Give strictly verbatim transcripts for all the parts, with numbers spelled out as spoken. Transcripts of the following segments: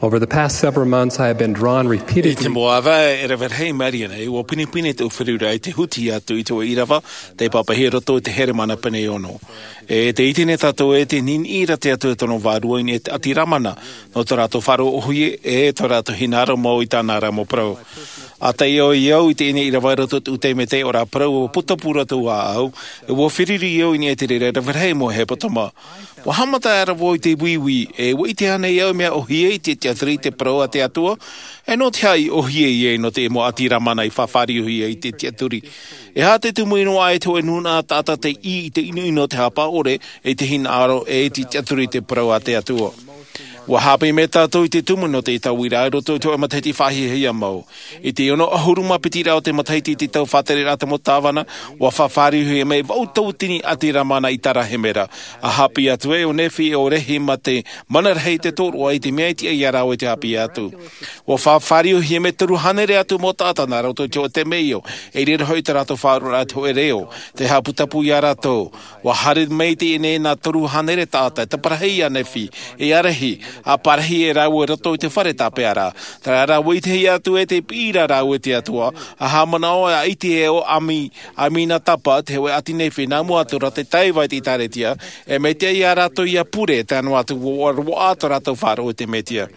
Over the past several months, I have been drawn repeatedly. I te mau ʻāvae e rave rahi mai nei, ua pinepine te ʻōfereura i te huti atu i te ʻīrava, te pāpaʻihia i roto i te heremana pene e ono. E te ʻite nei tātou e te niniʻi ra te Atua tōna vārua i niʻa i te ʻati Ramana, nō tō rātou faʻaroʻo ʻohie, e tō rātou hinaʻaro mau i tāna ra mau parau. ʻA taʻi au i au i teie nei ʻīrava i roto i te ʻū taime tei ʻō ra parau, ua putapū rātou ʻāʻau, e ua feruri au i niʻa i te reira e rave rahi mau hepetoma. Ua haʻamata aʻera vau i te uiui, e ua ʻite ānei au mea ʻohie i te tiʻaturi i te parau a te Atua, e nō te aha i ʻohie ia nō te mau ʻati Ramana i faʻafāriuhia i te tiʻaturi. E aha te tumu ʻino ʻā i te hōʻē nūnaʻa taʻata tei ʻī i te ʻinoʻino o te haʻapaʻo ʻore, i te hinaʻaro, e i te tiʻaturi i te parau a te Atua. Ua haʻapiʻi mai tātou i te tumu nō te tauiraʻa i roto i te hōʻē matahiti faʻahiahia mau. I te ono ʻahuru mā piti rā o te matahiti i te tau faʻatereraʻa a te mau tāvana, ua faʻafāriuhia mai vaʻu tauatini ʻati Ramana i Tarahemera. ʻA haʻapiʻi atu ai ʻo Nefi e ʻo Rehi mā te mana rahi i te tōroʻa i te mea i tiʻa ia rāua i te haʻapiʻi atu. Ua faʻafāriuhia mai toru hānere atu mau taʻata nā roto i te hōʻē temeio, e i reira hoʻi tā rātou faʻaroʻoraʻa i te hōʻē reo, tei haʻaputapū ia rātou. Ua haere mai i teie nei nā toru hānere taʻata, e taparahi ia Nefi, e ia Rehi, ʻa parahi e rāua i roto i te fare tāpeʻaraʻa. Terā rā, ua ʻitehia atu e te piʻiraʻa rāua i te Atua, ʻa haʻamanaʻo ʻa ʻIte e ʻo Ami-, Aminatapa, te hōʻē ʻāti Nefi, nā mua atu ra te taiva i te ʻĒtārētia, e mea tiʻa ia rātou ʻia pure, tae noa atu ua roaʻa tō rātou faʻaroʻo i te Mesia.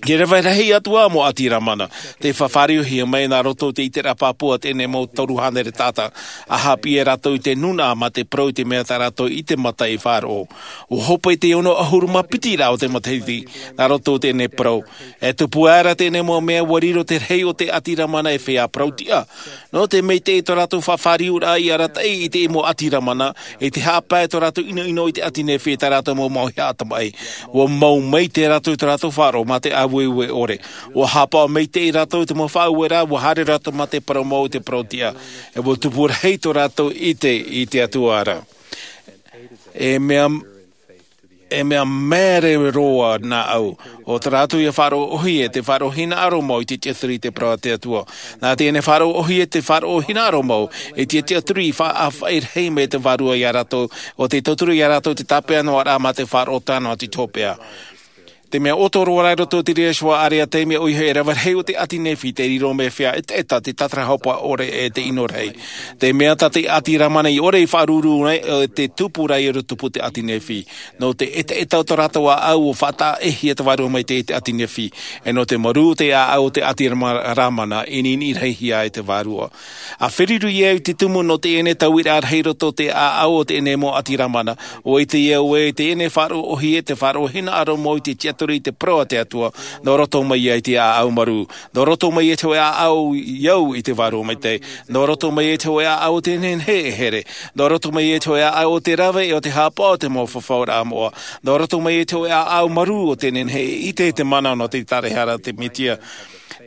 E rave rahi atu ā mau ʻati Ramana, tei faʻafāriuhia mai nā roto i te ʻiteraʻa pāpū a teie nei mau toru hānere taʻata, ʻa haʻapiʻi ia rātou i te nūnaʻa mā te parau i te mea tā rātou i te mata i faʻaroʻo. Ua hope i te ono ʻahuru mā piti rā o te matahiti, nā roto i teie nei parau. E tupu aʻera teie nei mau mea, ua riro te rahi o te ʻati Ramana e feiā parau tiʻa. Nō te maitaʻi i tō rātou faʻafāriuraʻa i arataʻi i te mau ʻati Ramana, i te haʻapae tō rātou ʻinoʻino i te ʻāti Nefi e tā rātou mau mauhaʻa tamaʻi. Ua mau maitaʻi rātou i tō rātou faʻaroʻo mā te ʻāueue ʻore. Ua haʻapaʻo maitaʻi rātou i te mau faʻaueraʻa, ua haere rātou mā te parau mau i te parau tiʻa. E ua tupu rahi tō rātou ʻite i te Atua ra. E mea, e mea māere roa nā ʻu, ʻo tā rātou ʻia faʻaroʻo ʻohie, te faʻaroʻo hinaʻaro mau i te tiʻaturi i te parau a te Atua. Nā teie nei faʻaroʻo ʻohie, te faʻaroʻo hinaʻaro mau, i te tiʻaturi i faʻaʻāfaʻi rahi mai te Vārua ia rātou, ʻo tei tauturu ia rātou te tāpeʻa noa ra mā te faʻaroʻo tae noa atu i te hopeʻa. Te mea ʻoto roa ra i roto i te reira ʻāreʻa, te mea ʻoia hoʻi e rave rahi o te ʻāti Nefi, tei riro mai e feiā ʻetaʻeta te tātarahapa ʻore e te ʻino rahi. Te mea tā te ʻāti Ramana i ʻore i faʻaruru nei, e te tupu ra i ʻore tupu te ʻāti Nefi. Nō te ʻetaʻeta o tō rātou ʻāʻau ʻua faʻataʻehia te Vārua Maitaʻi i te ʻāti Nefi. E nō te marū o te ʻāʻau o te ʻāti Rama-, Ramana, i niniʻi rahi ai te Vārua. ʻA feruri au i te tumu nō teie nei tauiraʻa rahi i roto i te ʻāʻau o teie nei mau ʻāti Ramana, ʻua ʻite au ē, teie nei faʻaroʻo ʻohie, te faʻaroʻo hinaʻaro mau i te tiʻaturi i te parau a te Atua, nō roto mai ia i te ʻāʻau marū, nō roto mai ia i te hōʻē ʻāʻau i au i te Vārua Maitaʻi, nō roto mai ia i te hōʻē ʻāʻau o te nehenehe e here, nō roto mai ia i te hōʻē ʻāʻau o te rave e o te haʻapaʻo o te mau fafauraʻa moʻa, nō roto mai ia i te hōʻē ʻāʻau marū o te nehenehe e ʻite i te mana nō te ʻĪtārahara a te Mesia.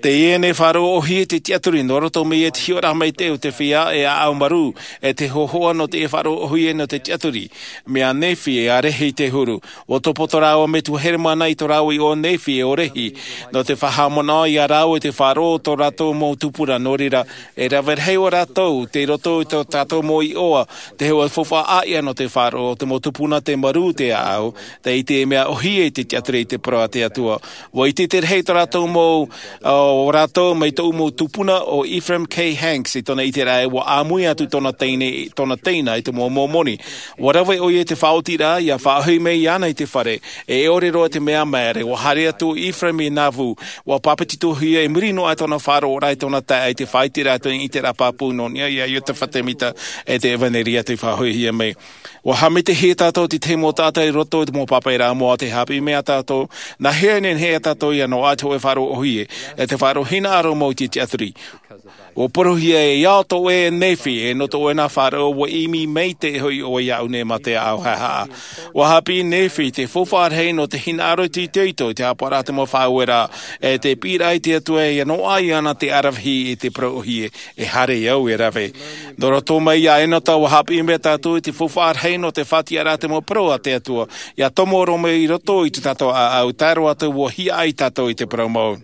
Teie nei faʻaroʻo ʻohie te tiʻaturi, nō roto mai ia i te hiʻoraʻa maitaʻi o te feiā e ʻāʻau marū, e te hōhoʻa nō te faʻaroʻo ʻohie nō te tiʻaturi. Mai ia Nefi e ia Rehi te huru. ʻUa topoto rāua metua heremana i tō rāua iʻoa Nefi e ʻo Rehi, nō te faʻahaʻamanaʻo ia rāua i te faʻaroʻo o tō rātou mau tupuna, nō reira, e rave rahi ʻo rātou, tei roto i tō tātou mau iʻoa, te hōʻē faufaʻa ʻāʻia nō te faʻaroʻo, te mau tupuna, te marū, te ʻāʻau, tei te mea ʻohie i te tiʻaturi i te parau a te Atua. ʻUa ʻite te rahi tō rātou mau, ʻo rātou mai tōʻu mau tupuna ʻo Ephraim K. Hanks i tōna ʻiteraʻa ē ʻua ʻāmui atu tōna teine, tōna teina i te mau Momoni. ʻUa rave ʻoia i te faʻaotiraʻa, ʻia faʻahoʻi mai iāna i te fare, e ʻore roa te mea māere, ʻua haere atu ʻo Ephraim i Nauvoo, ʻua pāpetitohia i muri noa i tōna faʻaroʻoraʻa i tōna taeaʻe i te faʻaiteraʻa i tōna ʻiteraʻa pāpū nō niʻa ia Iosepha Semita e te ʻevanelia tei faʻahoʻihia mai. ʻUa haʻamitahia tātou i te tahi mau taʻata i roto i te mau pāpaʻiraʻa moʻa, tē haʻapiʻi mai ia tātou, nā hea e nehenehe ia tātou ʻia noaʻa te hōʻē faʻaroʻo ʻohie, e te faʻaroʻo hinaʻaro mau i te tiʻaturi. ʻUa parauhia ē, ʻia ʻoto ʻoe e Nefi, e nō tō ʻoe nā faʻaroʻo, ʻua ʻimi maitaʻi hoʻi ʻoe iāʻu nei mā te ʻāʻau haʻehaʻa. ʻUa haʻapiʻi Nefi i te faufaʻa rahi nō te hinaʻaro i te itoito i te haʻapaʻoraʻa a te mau faʻaueraʻa, e te piʻiraʻa i te Atua ʻia noaʻa iāna te ʻaravihi i te parau ʻohie, e haere au e rave. Nō roto mai ia Enota ʻua haʻapiʻi mai tātou i te faufaʻa rahi nō te faʻatiʻaraʻa a te mau parau a te Atua, ʻia tomo roa mai i roto i tō tātou ʻāʻau, tae roa atu ʻua hiaʻai tātou i te parau mau.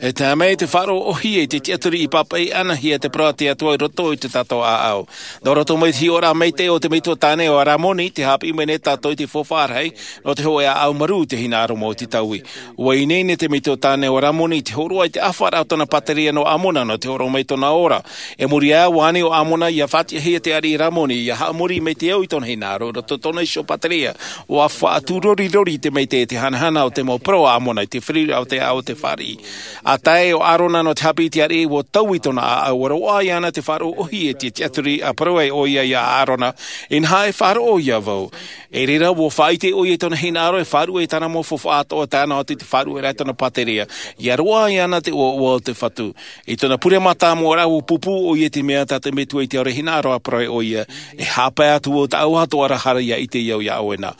E tae mai te faʻaroʻo ʻohie i te tiʻaturi i pāpaʻi ʻanahia te parau a te Atua i roto i tō tātou ʻāʻau. Nō roto mai te hiʻoraʻa maitaʻi o te metua tāne o Ramoni, tē haʻapiʻi mai nei tātou i te faufaʻa rahi nō te hōʻē ʻāʻau marū, te hinaʻaro mau i te taui. ʻUa ineine te metua tāne o Ramoni i te hōroʻa i te ʻāfaraʻa o tōna pāteria nō Amona nō te hōroʻa mai i tōna ora. E muri aʻe, ʻua ani ʻo Amona ʻia faʻatiʻahia te ariʻi Ramoni ʻia haʻamori mai te au i tōna hinaʻaro i roto i tōna iho pāteria. ʻUa faʻatūrorirori te maitaʻi i te hanahana o te mau parau a Amona i te feruriraʻa o te ʻāʻau o te fāriʻi. ʻA tae ʻo ʻĀrona nō te haʻapiʻi i te ariʻi, ʻua taui tōna ʻāʻau, ʻua roaʻa iāna te faʻaroʻo ʻohie i te tiʻaturi, ʻa parau ai ʻoia ia ʻĀrona, ʻinaha e faʻaroʻo ia vau. I reira, ʻua faʻaʻite ʻoia i tōna hinaʻaro e faʻaruʻe i tāna mau faufaʻa atoʻa, tae noa atu i te faʻaruʻeraʻa i tōna pāteria, ʻia roaʻa iāna te ʻoaʻoa o te Fatu. I tōna pure mātāmua ra, ʻua pūpū ʻoia i te mea tā te Metua i te ora hinaʻaro, ʻa parau ai ʻoia, e haʻapae atu vau tāʻu atoʻa ra, haere ʻia ʻite au iā ʻoe na.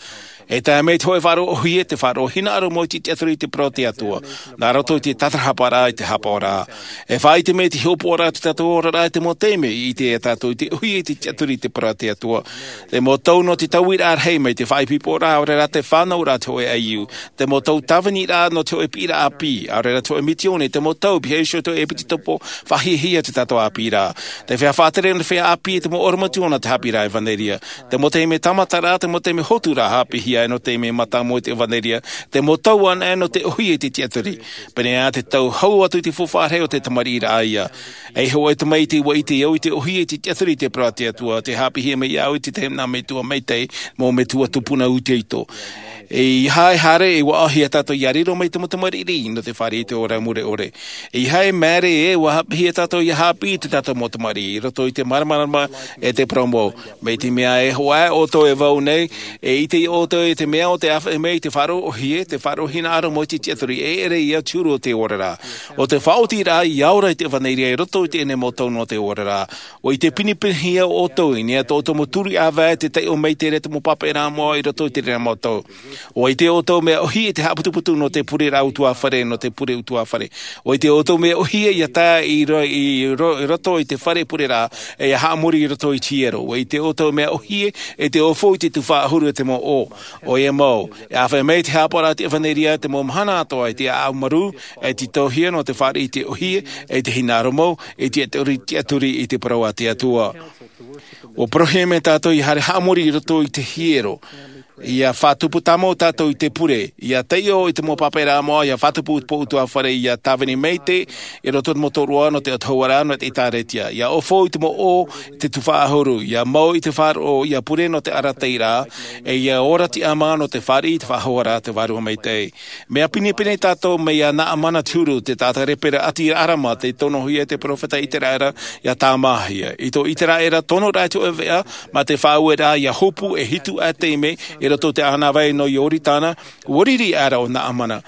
E tae mai te hōʻē faʻaroʻo ʻohie, te faʻaroʻo hinaʻaro mau i te tiʻaturi i te parau a te Atua. Nā roto i te tātarahaparaʻa i te hapaʻoraʻa. E faʻaʻite mai te hiʻopoʻaraʻa o tō tātou oraraʻa i te mau taime i ʻite ai tātou i te ʻohie i te tiʻaturi i te parau a te Atua. Te mau tau nō te tauiraʻa rahi mai te faʻaipoiporaʻa, ʻaore rā te fānauraʻa te hōʻē ʻaiū. Te mau tau tāviniraʻa nō te hōʻē piʻiraʻa ʻāpī, ʻaore rā te hōʻē mitioni, te mau tau pīhaʻi iho te hōʻē piti topo faʻahiahia te tātou ʻāpīraʻa. Te feiā faʻatere nō te feiā ʻāpī, te mau ʻorometua nō te haʻapiʻiraʻa ʻevanelia. Te mau taime tāmataraʻa, te mau taime hoturaʻa haʻapiʻihia ai nō te taime mātāmua i te ʻevanelia. Te mau tau anaʻe nō te ʻohie i te tiʻaturi. Pēnei ā te tau hau atu i te faufaʻa rahi o te tamariʻiraʻa ïa. E hōʻē tamaiti, ʻua ʻite au i te ʻohie i te tiʻaturi i te parau a te Atua, tē haʻapiʻihia mai iāʻu i te tahi nā metua maitaʻi, mau metua tupuna itoito. ʻEiaha e haere, e ʻua ʻaʻohia tātou ʻia riro mai te mau tamariʻi nō te fāriʻi i te ora mure ʻore. ʻEiaha e māere ē, ʻua haʻapiʻihia tātou ʻia haʻapiʻi i tō tātou mau tamariʻi i roto i te māramarama e te parau mau. Mai te mea e hoʻi ʻoutou e vau nei, e ʻite ʻoutou i te mea o te ʻāfaʻi mai i te faʻaroʻo ʻohie, te faʻaroʻo hinaʻaro mau i te tiʻaturi, e ʻere ïa te huru o te oraraʻa. ʻO te faʻaotiraʻa ʻia ora i te ʻevanelia i roto i teie nei mau tau nō te oraraʻa. ʻUa ʻite pinepinehia ʻoutou i niʻa i tō ʻoutou mau turi ʻāvae, te taiʻo maitaʻi ra te mau pāpaʻiraʻa moʻa i roto i terā mau tau. ʻUa ʻite ʻoutou mea ʻohie i te haʻaputuputu nō te pureraʻa ʻutuāfare, nō te pure ʻutuāfare. ʻUa ʻite ʻoutou mea ʻohie ʻia tae i ro-, i ro-, i roto i te fare pureraʻa, e ʻia haʻamori i roto i te hiero. ʻUa ʻite ʻoutou mea ʻohie i te ʻōfou i te tuhaʻa ʻahuru e te mau ʻō. ʻOia mau, e ʻāfaʻi mai te haʻapaʻoraʻa o te ʻevanelia i te mau mahana atoʻa, i te ʻāʻau marū, e tītauhia nō te fāriʻi i te ʻohie, e te hinaʻaro mau, e te tiʻaturi, tiʻaturi i te parau a te Atua. ʻUa parauhia mai tātou ʻia haere haʻamori i roto i te hiero, ʻia faʻatupu tāmau tātou i te pure, ʻia taiʻo i te mau pāpaʻiraʻa moʻa, ʻia faʻatupu i te pō ʻutuāfare, ʻia tāvini maitaʻi i roto i te mau tōroʻa nō te autahuʻaraʻa nō te ʻĒkālesia, ʻia ʻōfou i te mau ʻō i te tuhaʻa ʻahuru, ʻia mau i te faʻaroʻo, ʻia pure nō te arataʻiraʻa, e ʻia ora tiʻamā nō te fāriʻi i te faʻahouraʻa a te Vārua Maitaʻi. Mea pinepine tātou mai iā Naamana te huru, te taʻata lepera ʻāti Arama, tei tonohia e te peropheta Iseraela ʻia tāmāhia. I tō Iseraela tonoraʻa i te ʻoveʻa, mā te faʻaueraʻa ʻia hopu e hitu ā taime i roto i te ʻānāvai nō Ioritana, ʻua riri aʻera ʻo Naamana.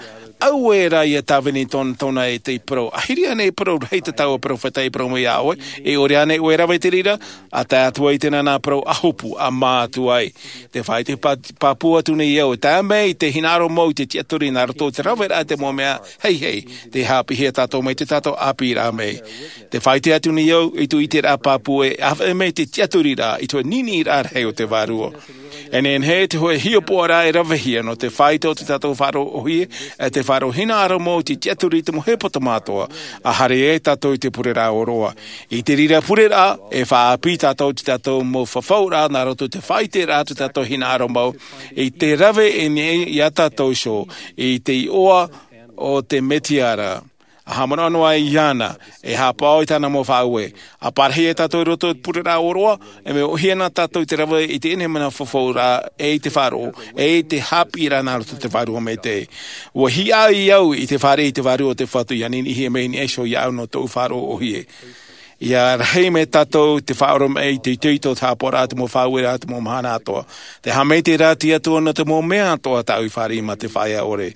Auē rā ʻia tāvini tōna, tōna e tei parau, ʻahiri ānei e parau rahi te taua peropheta i parau mai iā ʻoe, e ʻore ānei ʻoe e rave i te reira, ʻa tae atu ai i te nānā parau, ʻa hopu, ʻa mā atu ai. Tē faʻaʻite pā-, pāpū atu nei au, e tae mai te hinaʻaro mau i te tiʻaturi nā roto i te raveraʻa i te mau mea heihei, tē haʻapiʻihia tātou mai te tātou ʻāpīraʻa mai. Tē faʻaʻite atu nei au i tō ʻiteraʻa pāpū e ʻāfaʻi mai te tiʻaturiraʻa i te hōʻē niniʻiraʻa rahi o te Vārua. E nehenehe te hōʻē hiʻopoʻaraʻa e ravehia nō te faʻaʻite o te tātou faʻaroʻo ʻohie, e te faʻaroʻo hinaʻaro mau i te tiʻaturi i te mau hepetoma atoʻa, ʻa haere ai tātou i te pureraʻa ʻōroʻa. I te reira pureraʻa, e faʻaʻāpī tātou i te tātou mau fafauraʻa nā roto i te faʻaʻiteraʻa o te tātou hinaʻaro mau, i te rave i niʻa iā tātou iho, i te iʻoa o te Mesia ra. ʻA haʻamanaʻo noa iāna, e haʻapaʻo i tāna mau faʻaue, ʻa parahi ai tātou i roto i te pureraʻa ʻōroʻa, e mea ʻohie na tātou i te rave i teie nei mana fafauraʻa, e i te faʻaroʻo, e i te haʻapiʻiraʻa nā roto i te Vārua Maitaʻi. ʻUa hiaʻai au i te fāriʻi i te Vārua o te Fatu ʻia niniʻihia mai i niʻa iho iāʻu nō tōʻu faʻaroʻo ʻohie. ʻIa rahi mai tātou te faʻaoromaʻi i te itoito o te haʻapaʻoraʻa, te mau faʻaueraʻa, te mau mahana atoʻa. Tē haʻamaitaʻi ra te Atua nō te mau mea atoʻa tāʻu i fāriʻi mā te faʻaea ʻore.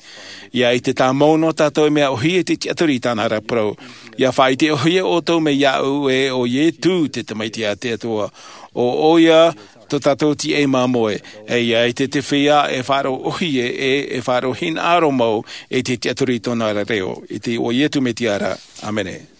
ʻIa ʻite tāmau noa tātou e mea ʻohie te tiʻaturi i tāna ra parau. ʻIa faʻaʻite ʻohie ʻoutou mai iāʻu ē ʻo Iesu te Tamaiti a te Atua. ʻO ʻoia tō tātou tīaʻi māmoe. E ʻia ʻite te feiā e faʻaroʻo ʻohie ē, e faʻaroʻo hinaʻaro mau i te tiʻaturi i tōna ra reo. I te iʻoa o Iesu Mesia ra. ʻĀmene.